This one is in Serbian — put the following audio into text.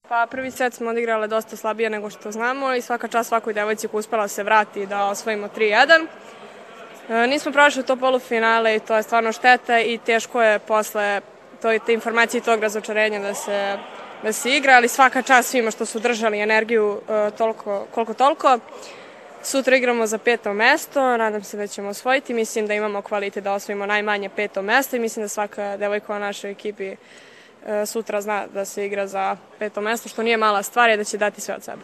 Pa prvi set smo odigrale dosta slabije nego što znamo i svaka čast svakoj devojci koja uspela se vrati da osvojimo 3-1. Nismo prošli to polufinale i to je stvarno šteta i teško je posle te informacije i tog razočarenja da se igra, ali svaka čast svima što su držali energiju koliko toliko. Sutra igramo za 5. mesto, nadam se da ćemo osvojiti, mislim da imamo kvalitet da osvojimo najmanje 5. mesto i mislim da svaka devojka u našoj ekipi sutra zna da se igra za 5. mesto, što nije mala stvar i da će dati sve od sebe.